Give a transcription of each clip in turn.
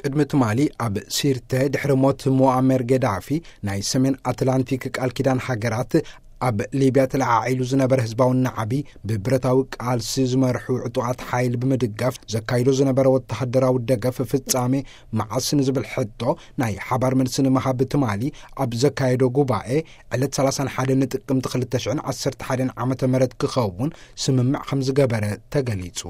ቅድሚ ትማሊ ኣብ ሲርተ ድሕሪ ሞት ሙኣመር ገዳፊ፣ ናይ ሰሜን ኣትላንቲክ ቃል ኪዳን ሃገራት ኣብ ሊብያ ተለዓዒሉ ዝነበረ ህዝባዊ ናዕቢ፣ ብብረታዊ ቃልሲ ዝመርሑ ዕጡቓት ሓይል ብምድጋፍ ዘካይዶ ዝነበረ ወተሃደራዊ ደገፍ ፍጻሜ መዓስ ንዝብል ሕቶ ናይ ሓባር መልሲ ንምሃብ ትማሊ ኣብ ዘካየዶ ጉባኤ፣ ዕለት ሰላሳን ሓደን ጥቅምቲ ክልተ ሽሕን ዓሰርተ ሓደን ዓመተ ምህረት ክኸውን ስምምዕ ከም ዝገበረ ተገሊጹ።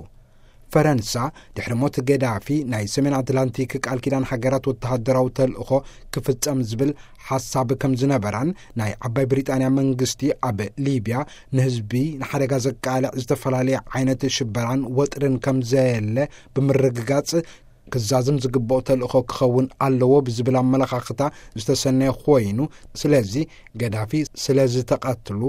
ፈረንሳ፣ ድሕሪ ሞት ገዳፊ ናይ ሰሜን ኣትላንቲክ ቃል ኪዳን ሃገራት ወተሃደራዊ ተልእኾ ክፍጸም ዝብል ሓሳብ ከም ዝነበራን፣ ናይ ዓባይ ብሪጣንያ መንግስቲ ኣብ ሊብያ ንህዝቢ ንሓደጋ ዘቃልዕ ዝተፈላለየ ዓይነት ሽበራን ወጥርን ከም ዘየለ ብምርግጋጽ፣ ክዛዝም ዝግብኦ ተልእኾ ክኸውን ኣለዎ ብዝብል ኣመለኻኽታ ዝተሰነየ ኮይኑ፣ ስለዚ ገዳፊ ስለ ዝተቐትሉ፣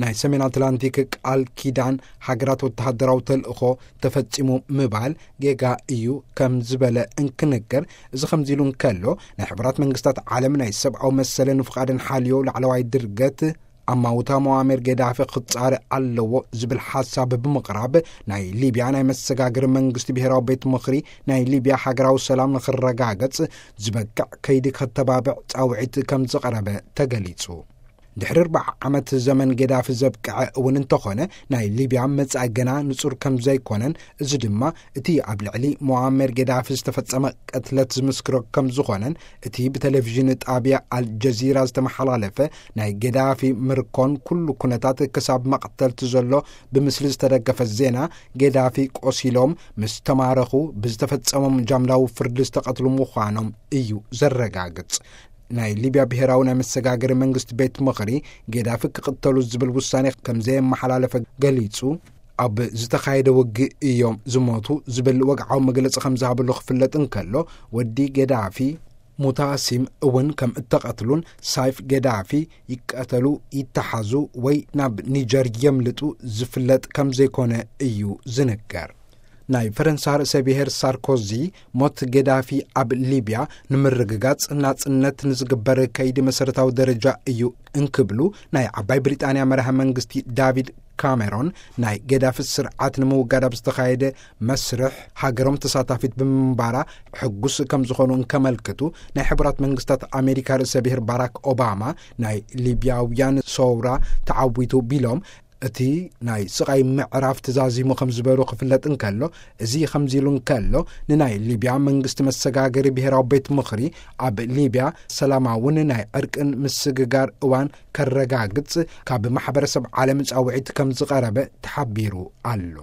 ናይ ሰሜን ኣትላንቲክ ቃል ኪዳን ሃገራት ወተሃደራዊ ተልእኾ ተፈጺሙ ምባል ጌጋ እዩ ከም ዝበለ እንክንገር፣ እዚ ከምዚ ኢሉ እንከሎ፣ ናይ ሕቡራት መንግስታት ዓለም ናይ ሰብኣዊ መሰልን ፍቓድን ሓልዮ ላዕለዋይ ድርገት ኣማውታ ሞኣሜር ገዳፊ ክጻረ ኣለዎ ዝብል ሓሳብ ብምቕራብ፣ ናይ ሊብያ ናይ መሰጋገሪ መንግስቲ ብሄራዊ ቤት ምኽሪ ናይ ሊብያ ሃገራዊ ሰላም ንክረጋገጽ ዝበቅዕ ከይዲ ከተባብዕ ጻውዒት ከም ዝቐረበ ተገሊጹ። ድሕሪ ኣርባዓ ዓመት ዘመን ገዳፊ ዘብቅዐ እውን እንተኾነ፣ ናይ ሊብያ መጻኢ ገና ንጹር ከም ዘይኮነን፣ እዚ ድማ እቲ ኣብ ልዕሊ ሞኣመር ገዳፊ ዝተፈጸመ ቅትለት ዝምስክሮ ከም ዝኾነን፣ እቲ ብቴሌቪዥን ጣብያ ኣልጀዚራ ዝተመሓላለፈ ናይ ገዳፊ ምርኮን ኩሉ ኩነታት ክሳብ መቕተልቲ ዘሎ ብምስሊ ዝተደገፈ ዜና፣ ገዳፊ ቆሲሎም ምስ ተማረኹ ብዝተፈጸሞም ጃምላዊ ፍርዲ ዝተቐትሉ ምዃኖም እዩ ዘረጋግጽ። ናይ ሊብያ ብሄራዊ ናይ መሰጋገሪ መንግስቲ ቤት ምኽሪ፣ ገዳፊ ክቕተሉ ዝብል ውሳኔ ከም ዘየመሓላለፈ ገሊጹ። ኣብ ዝተኻየደ ውግእ እዮም ዝሞቱ ዝብል ወግዓዊ መግለጺ ከም ዝሃበሉ ክፍለጥ እንከሎ፣ ወዲ ገዳፊ ሙታሲም እውን ከም እተቐትሉን፣ ሳይፍ ገዳፊ ይቀተሉ፣ ይተሓዙ ወይ ናብ ኒጀር የምልጡ ዝፍለጥ ከም ዘይኮነ እዩ ዝንገር። ናይ ፈረንሳ ርእሰ ብሔር ሳርኮዚ፣ ሞት ገዳፊ ኣብ ሊብያ ንምርግጋጽ ናጽነት ንዝግበር ከይዲ መሰረታዊ ደረጃ እዩ እንክብሉ፣ ናይ ዓባይ ብሪጣንያ መራሒ መንግስቲ ዳቪድ ካሜሮን፣ ናይ ገዳፊ ስርዓት ንምውጋድ ኣብ ዝተኻየደ መስርሕ ሃገሮም ተሳታፊት ብምንባራ ሕጉስ ከም ዝኾኑ እንከመልክቱ፣ ናይ ሕቡራት መንግስታት ኣሜሪካ ርእሰ ብሔር ባራክ ኦባማ፣ ናይ ሊብያውያን ሰውራ ተዓዊቱ ቢሎም፣ እቲ ናይ ስቓይ ምዕራፍ ተዛዚሙ ከም ዝበሩ ክፍለጥ እንከሎ፣ እዚ ከምዚ ኢሉ እንከሎ፣ ንናይ ሊብያ መንግስቲ መሰጋገሪ ብሄራዊ ቤት ምኽሪ ኣብ ሊብያ ሰላማውን ናይ ዕርቅን ምስግጋር እዋን ከረጋግጽ ካብ ማሕበረሰብ ዓለም ጻውዒት ከም ዝቐረበ ተሓቢሩ ኣሎ።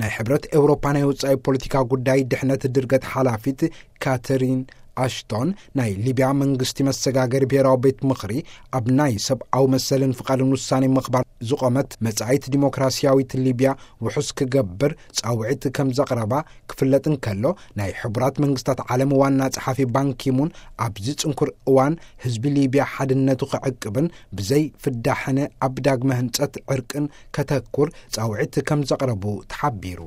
ናይ ሕብረት ኤውሮፓ ናይ ወጻኢ ፖለቲካ ጉዳይ ድሕነት ድርገት ሓላፊት ካተሪን ኣሽቶን፣ ናይ ሊብያ መንግስቲ መሰጋገሪ ብሄራዊ ቤት ምኽሪ ኣብ ናይ ሰብኣዊ መሰልን ፍቓድን ውሳኔ ምኽባር ዝቖመት መጻኢት ዲሞክራሲያዊት ሊብያ ውሑስ ክገብር ጻውዒት ከም ዘቕረባ ክፍለጥ እንከሎ፣ ናይ ሕቡራት መንግስታት ዓለም ዋና ጸሓፊ ባንኪሙን ኣብዚ ጽንኩር እዋን ህዝቢ ሊብያ ሓድነቱ ክዕቅብን ብዘይ ፍዳሕነ ኣብ ዳግመ ህንጸት ዕርቅን ከተኩር ጻውዒት ከም ዘቕረቡ ተሓቢሩ።